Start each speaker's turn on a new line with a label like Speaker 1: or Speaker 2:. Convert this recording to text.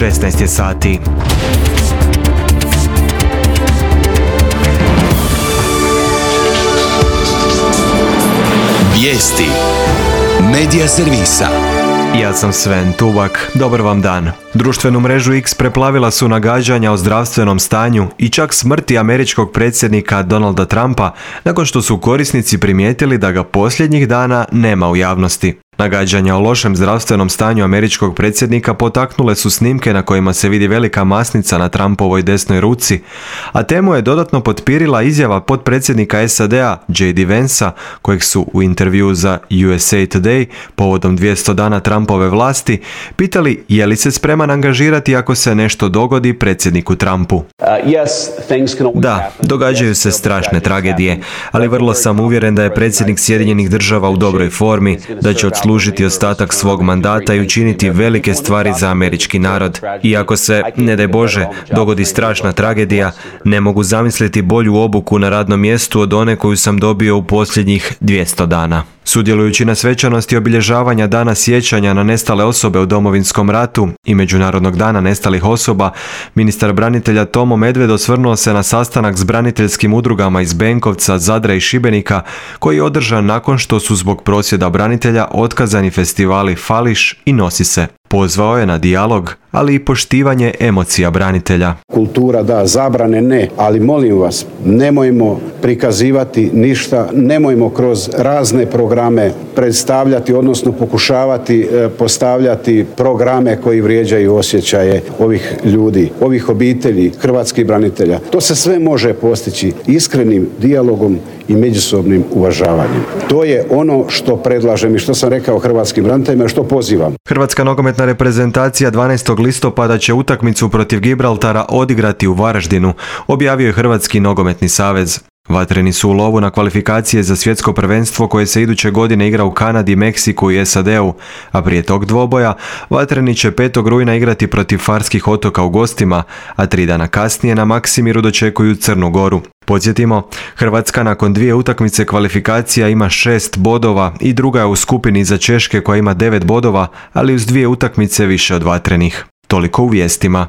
Speaker 1: 16 je sati.
Speaker 2: Vijesti Medija servisa.
Speaker 1: Ja sam Sven Tubak, dobar vam dan. Društvenu mrežu X preplavila su nagađanja o zdravstvenom stanju i čak smrti američkog predsjednika Donalda Trumpa nakon što su korisnici primijetili da ga posljednjih dana nema u javnosti. Nagađanja o lošem zdravstvenom stanju američkog predsjednika potaknule su snimke na kojima se vidi velika masnica na Trumpovoj desnoj ruci, a temu je dodatno potpirila izjava potpredsjednika SAD-a J.D. Vansa, kojeg su u intervjuu za USA Today povodom 200 dana Trumpove vlasti pitali je li se spreman angažirati ako se nešto dogodi predsjedniku Trumpu. Da, događaju se strašne tragedije, ali vrlo sam uvjeren da je predsjednik Sjedinjenih Država u dobroj formi, da će odslužiti ostatak svog mandata i učiniti velike stvari za američki narod. I ako se, ne daj Bože, dogodi strašna tragedija, ne mogu zamisliti bolju obuku na radnom mjestu od one koju sam dobio u posljednjih 200 dana. Sudjelujući na svečanosti obilježavanja Dana sjećanja na nestale osobe u Domovinskom ratu i Međunarodnog dana nestalih osoba, ministar branitelja Tomo Medved osvrnuo se na sastanak s braniteljskim udrugama iz Benkovca, Zadra i Šibenika, koji je održan nakon što su zbog prosvjeda branitelja otkazani festivali Fališ i Nosi se. Pozvao je na dijalog, ali i poštivanje emocija branitelja.
Speaker 3: Kultura da, zabrane ne, ali molim vas, nemojmo prikazivati ništa, nemojmo kroz razne programe predstavljati, odnosno pokušavati postavljati programe koji vrijeđaju osjećaje ovih ljudi, ovih obitelji, hrvatskih branitelja. To se sve može postići iskrenim dijalogom i međusobnim uvažavanjem. To je ono što predlažem i što sam rekao hrvatskim braniteljima, što pozivam.
Speaker 1: Hrvatska nogometna reprezentacija 12. listopada će utakmicu protiv Gibraltara odigrati u Varaždinu, objavio je Hrvatski nogometni savez. Vatreni su u lovu na kvalifikacije za svjetsko prvenstvo koje se iduće godine igra u Kanadi, Meksiku i SAD-u, a prije tog dvoboja Vatreni će 5. rujna igrati protiv Farskih otoka u gostima, a 3 dana kasnije na Maksimiru dočekuju Crnu Goru. Podsjetimo, Hrvatska nakon 2 utakmice kvalifikacija ima 6 bodova i druga je u skupini za Češke koja ima 9 bodova, ali uz 2 utakmice više od Vatrenih. Toliko u vijestima.